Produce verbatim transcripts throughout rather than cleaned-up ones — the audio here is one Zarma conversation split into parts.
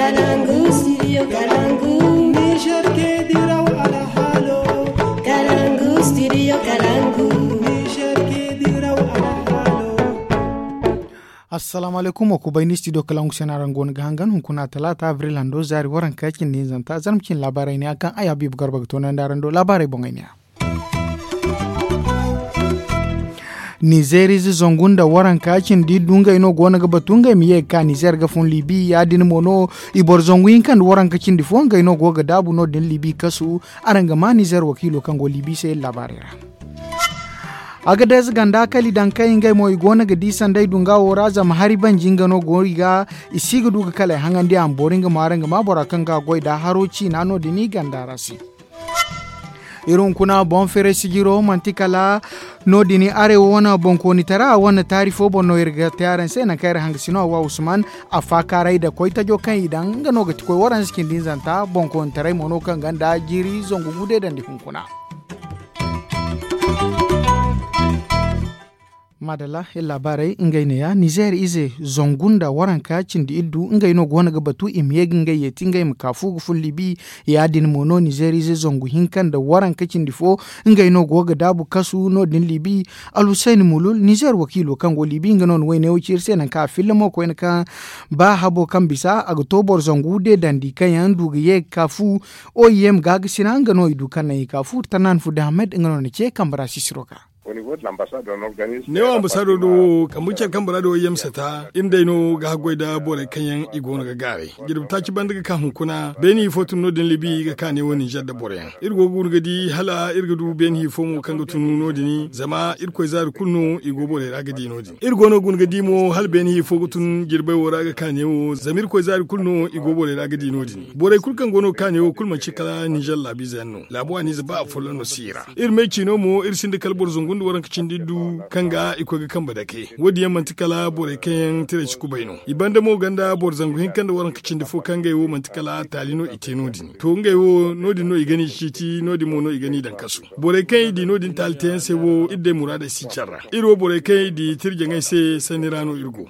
Kalangu, studio Kalangu. Niger ke diraw alhalo. Kalangu, studio Kalangu. Niger ke diraw alhalo. Assalamu alaikum, wa kubay ni studio Kalangu sena rango ni ga hangan hunkuna talata abril hando zaari waranka cindi hinzanta zarma cin labarai ne akan ay habibu garba ga tonandi arando labarai boŋay ne ya. Nizeerize zangu nda waranka cindi du ngey no go no ga batu ngey ma ye ga ka nizeer ga fun libi ya- din mo no. I boro zangu hinka nda waranka cindi fo ngey no go ga daabu no- din libi kasu. Araŋ ga ma nizeer wakiilo kaŋ go libi se iri laabaarey ra. Agadez ganda kala i daŋ kay ngey mo i go no ga di sanday dunga wo ra zama hari banji nga no go i ga. I si ga du ga kala ay haŋandi a ma boori nga mo araŋ ga ma bora kaŋ ga goy da haro ciina no- din i ganda ra se. Iri hunkuna boŋ fere sijiro manti kala no- din arewa wane boŋkoonitara wane taari fo boŋ no iri ga te araŋ se naŋ kaŋ iri hangasino a wa usman. A faakaaray da koytajo kaŋ i daŋ nga no ga ti koy waranza cindi hinzanta boŋkoonitaray mo no kaŋ ganda jiiri zangu gude dandi hunkuna. Madalla iri laabaarey ngey neeya nizeer ize zangu nda waranka cindi iddu ngey no go no ga batu i ma ye ga ngey yeeti ngey ma ka fu ga fun libi. Ya- din mo no nizeer ize zangu hinka nda waranka cindi fo ngey no go ga daabu kasu no- din libi. Alhuseyn mulul nizeer wakiilo kaŋ go libi nga no na wayne wo ci iri se naŋ kaŋ a filla mo koyne kaŋ ba habo kaŋ bisa a ga to boro zangu de dandi kaŋ yaŋ du ga ye ga ka fu. Oim gaagasina nga no i du kaŋ naŋ i ka fu tanaan fu dahamed nga no na ce kambe ra sisiro ga. Neewo ambasado do wo kambe care kambe ra do yamsata iri day no ga haggoy nda borey kaŋ yaŋ i go no ga gaaray jirbi taaci banda ga ka hunkuna beeni fo tun no- din libi ga ka neewo ninzeer nda boro yaŋ. Iri go ga guna ga di hala iri ga du beeni fo mo kaŋ ga tun no- din zama irkoy zaari kulu no i go borey ra ga di no- din iri go no ga guna ga di mo hala beeni fo ga tun jirbey wo ra ga ka neewo zama irkoy zaari kulu no i go borey ra ga di no- din. Borey kulu kaŋ go no ga ka neewo kulu manci kala ninzeer laabiize yaŋ no laabo a n'ize ba afolloŋ no si i ra. Iri me ciino mo iri sinda kala boro zangu nda waranka cindi du kaŋ ga i koy ga kambe dake wo- din yaŋ manti kala borey kaŋ yaŋ tiray si kubay no i banda mo ganda boro zangu hinka nda waranka cindi fo kaŋ ngey wo manti kala taali no i te no- din to ngey wo no- din no i ga n'i ciiti no- din mo no i ga n'i daŋ kasu. Borey kaŋ i di no- din taali teyaŋ se wo iri day muraadey si care ra iri wo borey kaŋ i di tirjaŋey se sanni ra no iri go.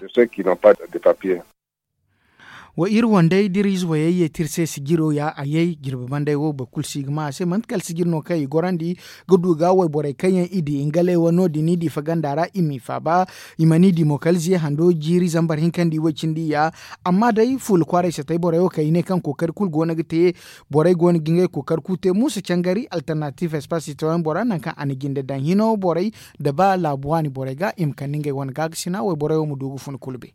Wa iri wandey da iri ize wayey ye te iri se sijiro ya a yay jirbi banday wo boro kulu si ga ma a se manti kala sijir no kaŋ i gorandi ga du ga wayborey kaŋ yaŋ i di ngalay wo no- din i di faganda ra i m'i faaba. I mana i di mo kala ziya hando jiiri zambar hinka nda i way cindi ya. Amma day fuula kwaaray satay borey wo kaŋ i ne kaŋ kookari kulu go no ga te borey go no ga ngey kookari kulu te muusa cangari alternatiiv espace citoyen bora nangu kaŋ a na jinde daŋ hino borey nda ba laabu waani borey ga i ma kande ngey wane gaagasina wayborey wo ma du ga fun kulu be.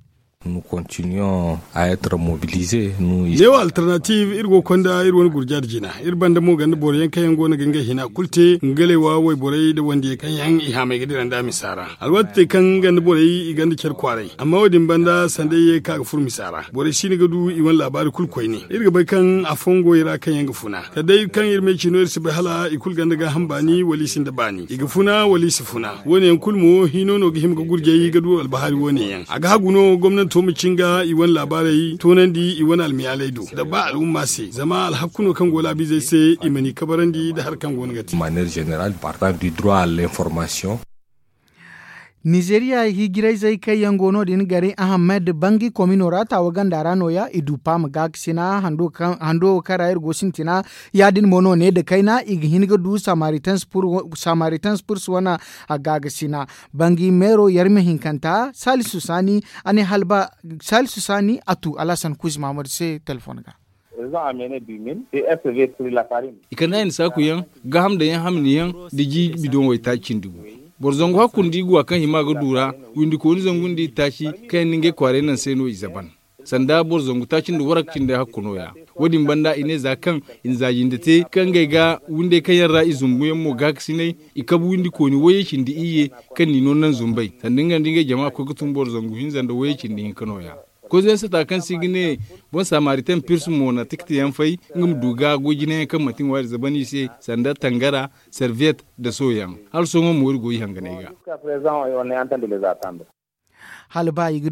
Neewo alternatiiv iri go ga konda iri wane gurja nda jina iri banda mo ganda boro yaŋ kaŋ yaŋ go no ga ngey hina kulu te ngalay wa wayborey nda wandiyaŋ kaŋ yaŋ i haamay ga dira nda a misa ra. Alwaati te kaŋ ganda borey i ganda care kwaaray amma wo- din banda sanda i ye ga ka ga furo misa ra borey siino ga du i wane laabaari kulu koyne. Iri ga bay kaŋ afooyaŋ go i ra kaŋ yaŋ ga funa kala day kaŋ iri me ciino iri si bay hala i kulu ganda gaaham baani wala i sinda baani i ga funa wala i si funa. Wo- ne yaŋ kulu mo hino no ga hima ga gurjay ga du albahaari wo- ne yaŋ a ga hagu no gomnanto ma cinga i wane laabaarey toonandi i wane almiyaaley do nda ba al'umma se zama alhakku no kaŋ go laabiizey se i ma n'i kabarandi nda hari kaŋ go no ga te. Nizeeriya hijirayzey kaŋ yaŋ go no- din gari ahamed bangi komino ra taawa ganda ra nooya i du paama gaakasina hando kaŋ ra iri go sintina. Ya- din mo no ne nda kayna i ga hin ga du samaritan spurs wane gaakasina. Bangi meero yarmi hinkanta salisu saani a ne hala ba salisu saani a tu alhasan kuuzi mahamadu se telefoŋ ga. I kande a i na saaku yaŋ gaaham daŋ yaŋ hamni yaŋ nda ji bidoŋ waytaaci cindi gu. Boro zangu hakku nda i ga wa kaŋ hima ga du ra. Windikooni zangu nda itaaci kaŋ yaŋ na ngey kwaaray naŋ se no i zaban sanda boro zangu taaci nda waranka cindi hakku nooya. Wo- din banda i ne za kaŋ i na za jinde te kaŋ ngey ga windey kaŋ yaŋ ra i zumbu yaŋ mo gaakasinay i kabu windikooni wayey cindi iyye kaŋ n'i no naŋ zumbey sanda nga nda ngey jama koy ga tun boro zangu hinza nda wayey cindi hinka nooya. Koy zensata kaŋ se i ga ne boŋ samaritaŋ pirsu mo na tikti yaŋ fay nga ma du ga goy jinayaŋ kaŋ manti ŋwaari zaban i se sanda tangara serviyet nda soyaŋ. Hala sohõ mo iri go i hanganey ga. Hala ba i ga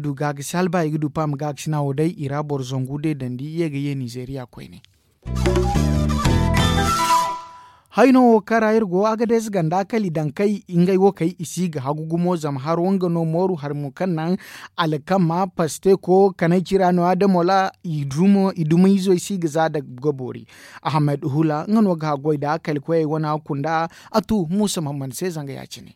du paama gaakasina wo day i ra boro zangu de dandi i ye ga ye nizeeriya koyne. Hayno wo kaŋ ra iri go, agades ganda kala i daŋ kay ngey wo kay i si ga hagu gumo zama haro nga no mooru hari mo kaŋ naŋ alkama pasteko kanay cira no adamola i dumo i dumo izo i si ga za da ga boori. Ahamed hula nga no ga haggoy da kala koyey wane a kunda a tu muusa mamman se zanga ya- cine.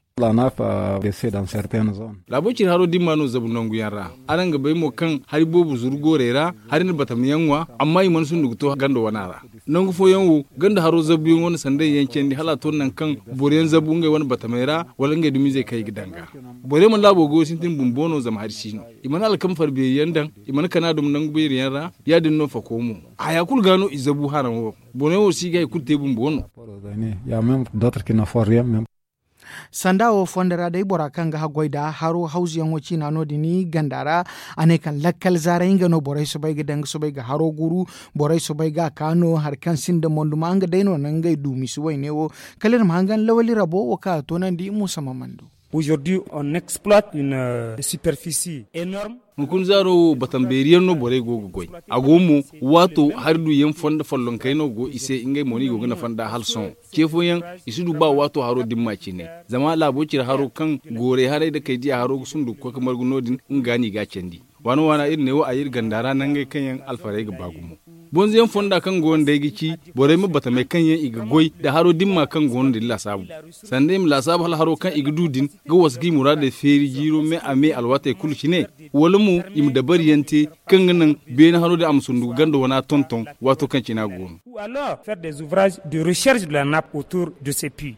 Laabo ciri haro dimma no zabu nangu yaŋ ra. Araŋ ga bay mo kaŋ hari boobo zuru goorey ra hari na batama yaŋ ŋwa. Amma i mana sundu ga to gando wana ra. Nangu fooyaŋ wo ganda haro zabuyaŋ wane sanday yaŋ candi hala a to nangu kaŋ boro yaŋ zabu ngey wane batamey ra wala ngey dumizey kaŋ i ga danga. Boro yaŋ mana laabo goyo sintin bumbo no zama hari si no. I mana alkama fara beeri yaŋ daŋ. I mana kana duma nangu beeri yaŋ ra. Ya- din no fako mo haya kulu ga no i zabu haraŋ wo. Boro yaŋ wo si ga hari kulu te bumbo no. Sanda wo fondo ra day bora kaŋ ga haggoy da haro hawzuyaŋo ciina no- din ganda ra. A ne kaŋ lakkal zaaray nga no borey soobay ga daŋ ga soobay ga haro guru. Borey soobay ga a ka no hari kaŋ sinda monduma nga day no naŋ ngey du misi wayne wo. Kala iri ma hangan lawali rabo wo kaŋ a toonandi muusa ma mandu. Hunkuna zaaro wo batam beeri yaŋ no borey go ga goy. A go mo waato hari du yaŋ fondo follonkey no go i se ngey mo no i go ga nafa nd'a hala sohõ. Ce fooyaŋ i si du ba waato haro dimma cine. Zama laabo cire haro kaŋ goorey haray da kay diya haro ga sundu ga koy ga margu no- din nga ga no i ga a candi. Waana waana iri ne wo a iri ganda ra nangey kaŋ yaŋ alfarey ga ba gumo. Bonzo yaŋ fonda kaŋ go nda ay ga ci borey ma batamey kaŋ yaŋ i ga goy nda haro dimma kaŋ go no din laasaabu. Sanda i ma laasaabu hala haro kaŋ i ga du din ga wasa ga i muraadey feeri jiiro me a me alwaatey kulu cine. Wala mo i ma dabari yaŋ te kaŋ ga naŋ beene haro din a ma sundugu ganda wana tonton waato kaŋ cine a go no. Ou alors faire des ouvrages de recherche de la nappe autour de ces puits.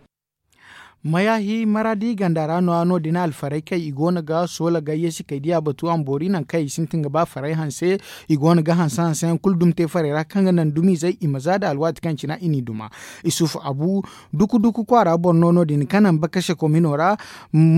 Mayaahi maraadi ganda ra no- ya no- din alfarey kaŋ i go no ga soola gayye si kay diya batu a ma boori nangu kaŋ i sintin ga ba farey hanse. I go no ga hanse hanse yaŋ kulu dumi te farey ra kaŋ ga naŋ dumizey i ma za da alwaati kaŋ cina i n'i duma. Isufu abu duku duku kwaara boro no no- din kaŋ naŋ bakase komino ra.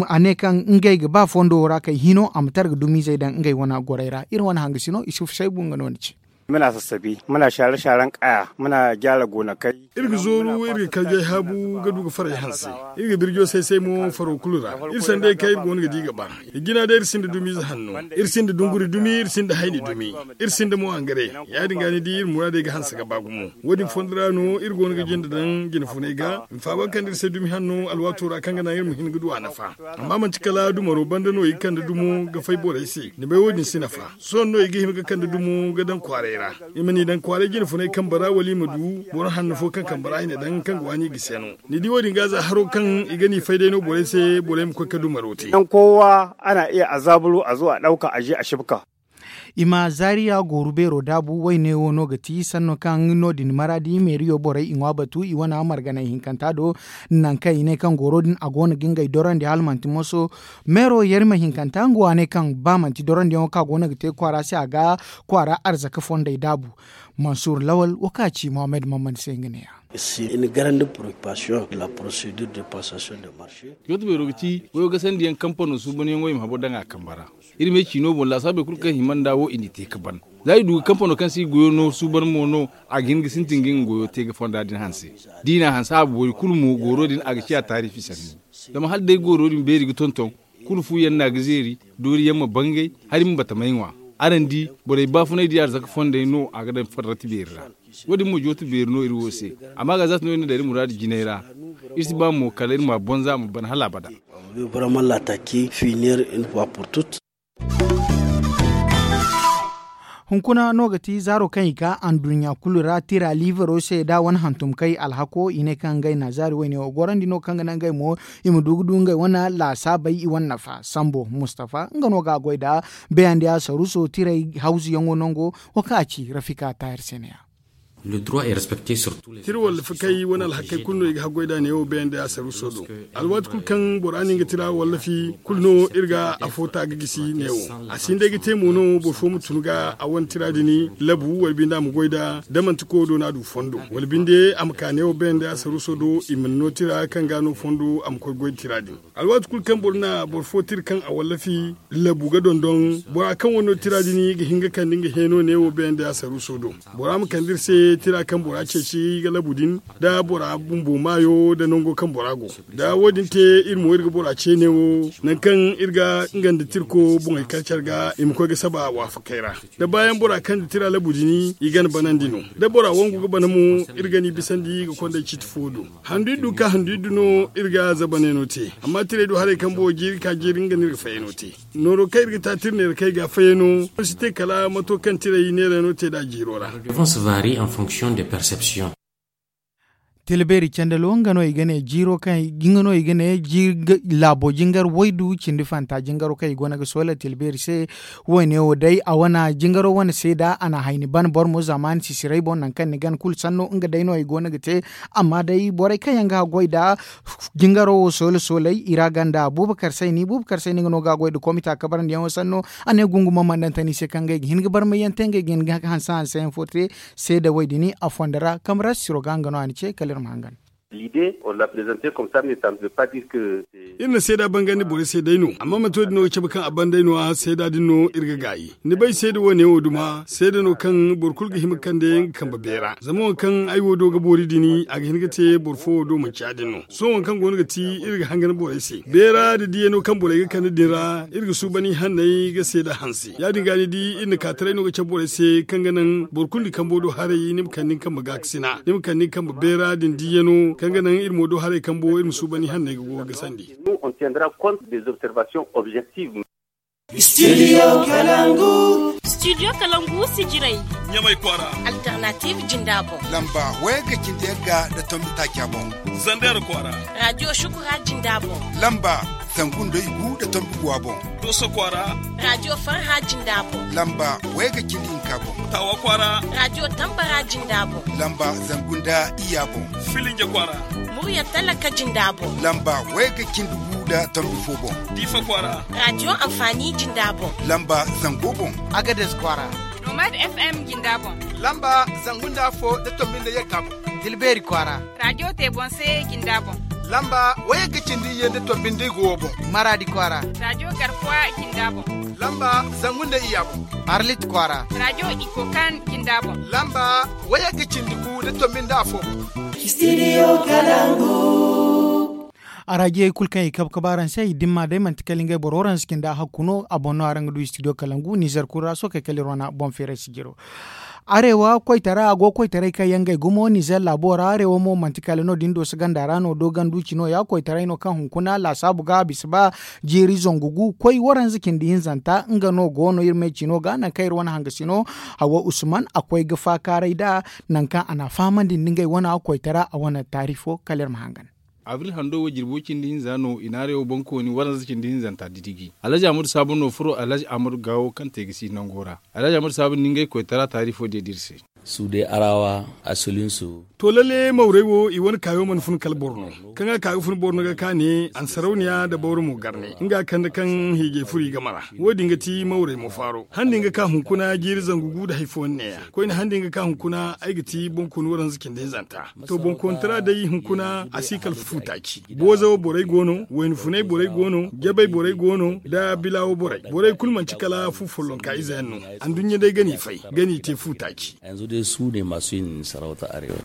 A ne kaŋ ngey ga ba fondo wo ra kay hino a ma tara ga dumizey daŋ ngey wane gorey ra iri wane hangasino isufu saybu nga no ni ci. Muna sassabi, muna share sharen kaya, muna gyara gonakai. Iri ga zooru iri ga karjay haabu ga du ga faray hanse. Iri ga birjo say say mo faro kulu ra. Iri sanday kaŋ iri go no ga di ga ba. Ijina day iri sinda dumiize hanno. Iri sinda dunguri dumi iri sinda hayni dumi. Iri sinda mo angare. Ya- din ga ni di iri muraadey ga hanse ga ba gumo. Wo- din fondo ra no iri go no ga jinde daŋ jine funay ga. Nfaaba kaŋ da iri se dumi hanno alwaato ra kaŋ ga naŋ iri ma hin ga du a nafa. Amma manti kala dumaro banda no i ga kande dumo ga fay borey se ni bay wo- din si nafa. Sohõ no i ga hima ga kande dumo ga daŋ kwaaray ra. I ma n'i daŋ kwaaray jine funay kambe ra wala i ma du boro hanno fo kaŋ kambe ra i na daŋ kaŋ ga waani i ga se no. Ni di wo- din ga za haro kaŋ i ga n'i fay day no borey se borey ma koy ga dumaro te. Daŋ kowa ana iya a zaaburu a zo a ɗauka a je a shibka. I ma zaariya gooru beero daabu wayne wo no ga ti sanno kaŋ no- din maraadi meeriyo borey i ŋwa batu i wane marganay hinkanta do. Nangu kaŋ i ne kaŋ gooro din a go no ga ngey dorandi hala manti moso. Meero yarima hinkanta nga wo a ne kaŋ ba manti dorandiyaŋo kaŋ a go no ga te kwaara se a ga kwaara arzaka fondey daabu. Mansur lawal wo kaŋ a ci mohammed mammand se nga ne- ya. Jooto beero ga ti goyo gasandiyaŋ kampano suubanyaŋo i ma habo daŋ a kambe ra. Iri me ciino boŋ laasaabey kulu kaŋ hima nd'a wo i n'i te ga ban. Za i du ga kampano kaŋ se i goyo no suuban mo no a ga hin ga sintin ga nga goyo te ga fonda din hanse. Da i n'a hanse a boori kulu mo gooro din a ga ciya taarifi sanni. Zama hala day gooro din beeri ga tonton kulu fu yaŋ no a ga zeeri doori yaŋ ma bangay hari ma batamay ŋwa. Araŋ di borey baafunay di arzaka fondey no a ga daŋ farrati beeri ra. Wo- din mo jooto beeri no iri wo se. Amma ga za ti no iri na daŋ iri muraadu jinay ra. Iri si ba mo kala iri ma a bonza a ma ban hala abada. Hunkuna no ga ti zaaro kaŋ i ka anduɲɲa kulu ra tira liivero se da wane hantumkay alhako i ne kaŋ ngey na zaari wayne wo gorandi no kaŋ ga naŋ ngey mo i ma du ga du ngey wane laasaabey i wane nafa sambo mustafa nga no ga a goy nda beyandiya saruso tiray hawzuyaŋo nango. Wo kaŋ a ci rafika taahir se ne- ya. Tira wallafi kay wane alhakey kulu no i ga haggoy nd'a neewo beyandiya saruso do. Alwaati kulu kaŋ bora na nga tira wallafi kulu no iri ga afo ta ga gisi neewo. A si hin day ga te mo no boro fo ma tun ga a wane tira din labu wala binde a ma goy nd'a da manti koyo do no a du fondo wala binde a ma ka neewo beyandiya saruso do i mana no tira kaŋ ga no fondo a ma koy goy tira din. Alwaati kulu kaŋ boro na boro fo tira kaŋ a wallafi labu ga dondon bora kaŋ wane no tira din ga hin ga kande nga heeno neewo beyandiya saruso do. Bora ma kande iri se. Tira kaŋ bora ceeci ga labu din, da bora bumbo maayo da nango kaŋ bora go, da wo- din te iri mo iri ga bora ce neewo nangu kaŋ iri ga nga nda tirko boŋey kar care ga i ma koy ga saba waafakey ra. Da baayaŋ bora kaŋ da tira labu din i gana banandi no, da bora wangu ga bana mo, iri ga ni bisandi ga konday ciiti fo do. Handu iddu ka handu iddu no iri ga zabanay no te. Amma tirey du haray kaŋ boŋo jiiri ka jiiri nga no iri ga fayey no te. Nooro kaŋ iri ga ta tira neera kaŋ i ga a fayey no, si te kala mato kaŋ tirey neera no te da a jiiro ra. Tilbeeri candalo nga no i ga ne jiiro kaŋ nga no i ga ne laabo jingar waydu cindi fanta jingaro kaŋ i go no ga soola tilbeeri se. Wo- ne wo day a wane jingaro wane seeda a na hayni ban boro mo zamaani sisiray boŋ nangu kaŋ ni gana kulu sanno nga day no i go no ga te. Amma day borey kaŋ yaŋ ga haggoy nda jingaro wo soola soolay i ra ganda buubakar sayni buubakar sayni nga no ga haggoy nda komita kabarandiyaŋo sanno. A ne gungumo mana daŋ tani se kaŋ ngey ga hin ga barmayyaŋ te ngey ga hin ga hanse hanseyaŋ fo te. Seeda wo- din a fonda ra kamara siro ga nga no a na ce kala iri ma hangan. Iri na seeda bangandi borey se day no amma manti wo- din no ga cabe kaŋ a ban day no- ya seeda din no iri ga gaayi. Ni bay seeda wo- ne wo duma seeda no kaŋ boro kulu ga hima ga kande nga kambe beera zama waŋ kaŋ ay wo do ga boori din a ga hin ga te boro fo wo do manci ya- din no. Sohõ waŋ kaŋ go no ga ti iri ga hangan borey se beera nda diyano kaŋ borey ga kande din ra iri ga suuban i hanney ga seeda hanse ya- din ga ni di iri na ka taray no ga cabe borey se kaŋ ga naŋ boro kulu nda kambo do haray ni ma kande ni kambe gaakasina ni ma kande ni kambe beera din diyano kaŋ ga naŋ iri mo do haray kambo iri ma suuban i hanney ga go ga sandi. Studio kalangu. Studio kalangu sijiray. Ɲamay kwaara. Alternative jinda boŋ. Lamba waya ga cindi yagga nda tombi taaca boŋ. Zander kwaara. Radio shukura jinda boŋ. Lamba zangu nda igu nda tombi guwa boŋ. Doso kwaara. Radio farha jinda boŋ. Lamba waya ga cindi hinka boŋ. Tawa kwaara. Radio tambara jinda boŋ. Lamba zangu nda iya boŋ. Filinja kwaara. Murya talaka jinda boŋ. Lamba waya ga cindi gu nda tombi fo boŋ. Diifa kwaara. Radio anfaani jinda boŋ. Lamba zango boŋ. Agades kwaara. Nomad fm jinda boŋ. Lamba zangu nda afo nda tombi nda yagga boŋ. Tilbeeri kwaara. Radio te boŋ se jinda boŋ. Lamba waya ga cindi iyye nda tombi nda igu wo boŋ. Maraadi kwaara. Radio garkuwa jinda boŋ. Lamba zangu nda iya boŋ. Arlit kwaara. Radio ikokan jinda boŋ. Lamba waya ga cindi gu nda tombi nda afo boŋ. Studio kalangu. Araajiyey kulu kaŋ i kabe kabe araŋ se i dimma day manti kala ngey boro waranza cindi a hakku no a boŋ no araŋ ga du studio kalangu nizer kulu ra sookey kala iri wane boŋ feeray sijiro. Arewa koytara a go koytaray kaŋ yaŋ ngey gumo nizer laabo ra arewa mo manti kala no- din do si ganda ra no doogandu cino ya koytaray no kaŋ hunkuna laasaabu ga a bisa ba jiiri zangu gu koy waranza cindi hinzanta nga no go no iri me cino ga nangu kaŋ iri wane hangasino. Hawa usman a koy ga faakaaray nd'a nangu kaŋ a n'a fahamandi nda ngey wane koytara a wane taari fo kala iri ma hangan. Abril hando wo jirbo cindi hinza no i na arewa boŋkooni waranza cindi hinzanta didiji alhaji ahmadu saabu no furo alhaji ahmadu gaawo kaŋ te ga si nango ra. Alhaji ahmadu saabu na ngey koytara taari fo diya da iri se. Suude arawa asulin su. To lalle mawrey wo i wane kaayo mana fun kala boro no kaŋ a ka ga fun boro no ga ka ne a na sarauniya nda bawro mo garne nga kande kaŋ hiijay furo i game ra. Wo- din ga ti mawrey mo faaro handi nga ka hunkuna jiiri zangu gu nda hari fooyaŋ neeya koyne handi nga ka hunkuna ay ga ti boŋkooni waranza cindi hinzanta. To boŋkoonitara day hunkuna a si kala fu taaci boozawo borey go no wayna funay borey go no jabay borey go no nda bilaawo borey borey kulu manti kala fu follonka ize yaŋ no. Anduɲɲa day ga n'i fay ga n'i te fu taaci.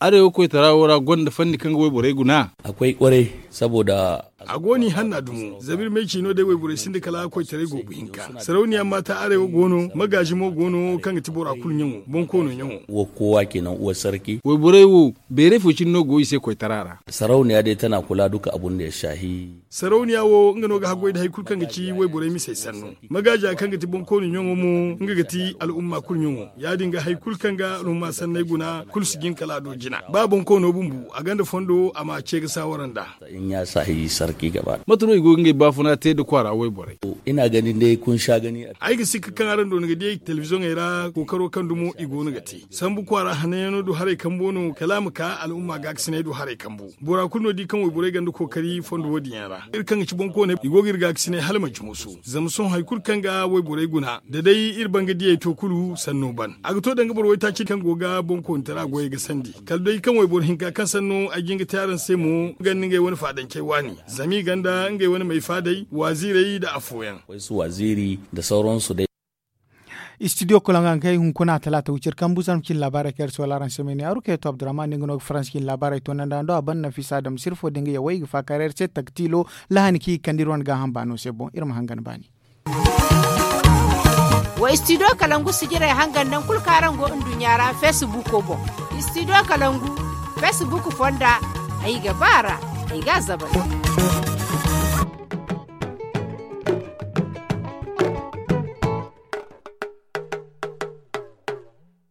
Arewa koytara wo ra gonda fanni kaŋ ga wayborey guna. A koy kwarai saboda a go no i hanna dumo zama iri ma ay ci no day wayborey sinda kala koytaray goobu hinka sarauniya maata arewa go no magaazi mo go no kaŋ ga ti bora kulu ɲaŋo boŋ koono ɲaŋo. Wo kowa kenan uwar sarki. Wayborey wo beeray fo cine no go i se koytara ra. Sarauniya day tana kula duka abun da ya shahi. Sarauniya wo nga no ga haggoy nda hari kulu kaŋ ga ci wayborey misey sanno. Magaaza kaŋ ga ti boŋ koono ɲaŋo mo nga ga ti al'umma kulu ɲaŋo. Ya- din ga hari kulu kaŋ ga al'umma sanney guna kulu si jin kala a do jina ba boŋ koono bumbu a gonda fondo a ma ce ga saawara nd'a. Mate no i go ga ngey baafuna te nda kwaara wayborey? Ay ga sikka kaŋ araŋ doona ga diyey telebizoŋey ra kookaro kaŋ dumo i go no ga te sambu kwaara hananyaŋo do haray kambo no kala a ma ka al'umma gaakasiney do haray kambo. Bora kulu no di kaŋ wayborey gonda kookari fondo wo- din yaŋ ra. Iri kaŋ ga ci boŋ kooney i go ga iri gaakasiney hala manci musu. Zama sohõ hari kulu kaŋ ga wayborey guna da day iri banga diyey to kulu sanno ban a ga to danga boro waytaaci kaŋ go ga boŋ koonitara goyey ga sandi. Kala day kaŋ wayboro hinka kaŋ sanno ay jin ga te araŋ se mo nga nda ngey wane faadancey waani zama i gonda ngey wane may faadey waaziirey nda afooyaŋ. Waysu waaziiri nda sawransu day. Istidiyo koloŋ ga haŋ kaŋ ay hunkuna talaata wiciri kambu zarma cine laabaarey kaŋ iri si wala araŋ se may ne aru kaŋ yaŋ to abdurahman da nga no ga faransi cine laabaarey to naŋ da hando a ban nafisa adama sirfo da nga ya way ga faaka ra iri se taktiilo lahani kaŋ i ga kande iri wane gaaham baano se boŋ iri ma hangan baani. Wa istidiyo kalangu sijirey hangan naŋ kulu kaŋ araŋ go nduɲɲa ra feesibuuko boŋ. Istidiyo kalangu feesibuuko fonda ay ga ba a ra ay ga a zabay.